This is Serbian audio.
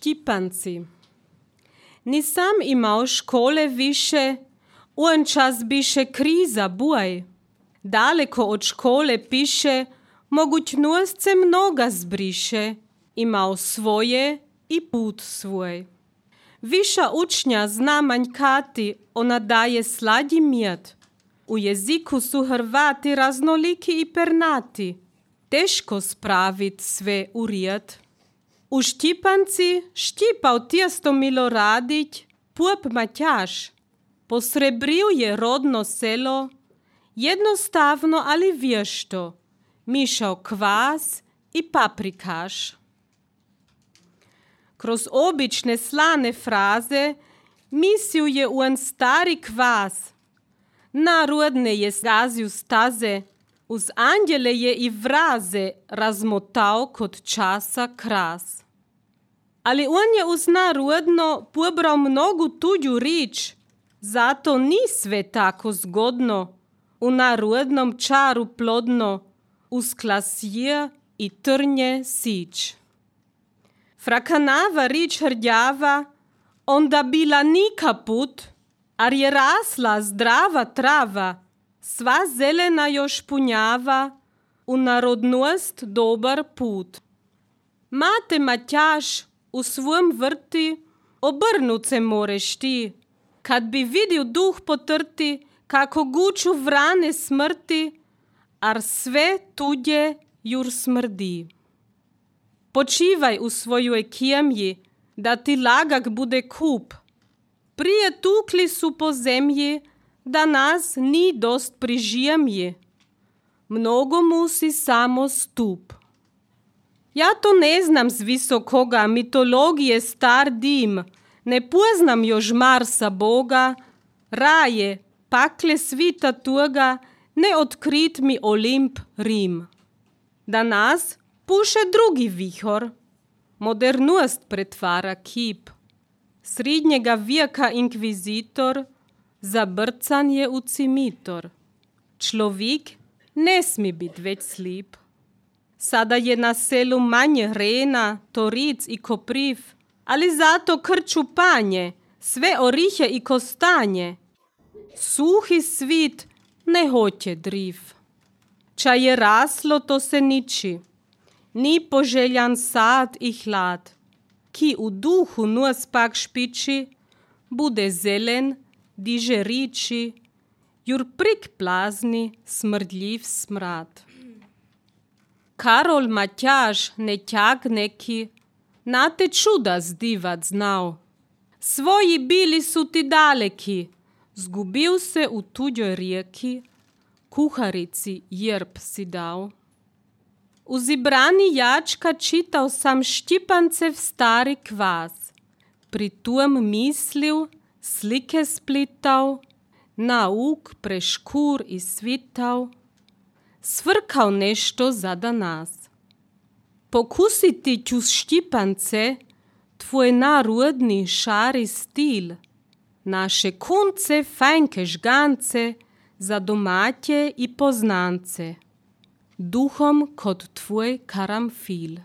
Štipanci. Nisam imao škole više, un čas biše kriza buaj. Daleko od škole piše, mogućnost se mnoga zbriše, imao svoje i put svoj. Viša učnja zna manjkati, ona daje sladji mjed. U jeziku su Hrvati raznoliki i pernati, teško spravit sve u rijed. U Štipanci štipao tijesto Miloradić, pup Matjaž. Posrebriju je rodno selo, jednostavno ali vješto, mišao kvas i paprikaš. Kroz obične slane fraze mislio je un stari kvas. Narodne je zgazio staze, uz anđele je i vraze razmotao kod časa kras. Ali on je uz narodno pobrao mnogu tuđu rič, zato ni sve tako zgodno, u narodnom čaru plodno, uz klasje i trnje sić. Frakanava rič hrđava, onda bila nikaput, ar je rasla zdrava trava, sva zelena još punjava, u narodnost dobar put. Mate Matjaž u svom vrti, obrnut se moreš ti, kad bi vidio duh potrti, kako guču vrane smrti, ar sve tuđe jur smrdi. Počivaj u svojoj kjemji, da ti lagak bude kup. Prije tukli su po zemlji, da nas ni dost prižijemji. Mnogo musi samo stup. Ja to ne znam z visokoga, mitologije star dim, ne poznam još Marsa Boga, raje, pakle svita tuga, ne otkrit mi Olimp Rim. Da nas puše drugi vihor, modernost pretvara kip. Srednjega vijeka inkvizitor, zabrcan je u cimitor. Človek ne smi bit već slip. Sada je na selu manje rena, toric i kopriv, ali zato krču panje, sve orihe i kostanje. Suhi svit ne hoće driv. Ča je raslo, to se niči. Ni poželjan sad i hlad. Ki u duhu nos pak špiči, bude zelen, diže riči, jur prik plazni, smrdljiv smrad. Karol Matjaž nećak neki, na te čuda zdivat znao. Svoji bili su ti daleki, zgubil se u tuđoj rijeki, kuharici jerb si dao. U zibrani jačka čitao sam Štipancev stari kvas, pri tujem mislil, slike splitao, nauk preškur i svitao, svrkao nešto za danas. Pokusiti ću Štipance, tvoj narodni šari stil, naše kunce, fajnke žgance, za domaće i poznance, duhom kod tvoj karamfil.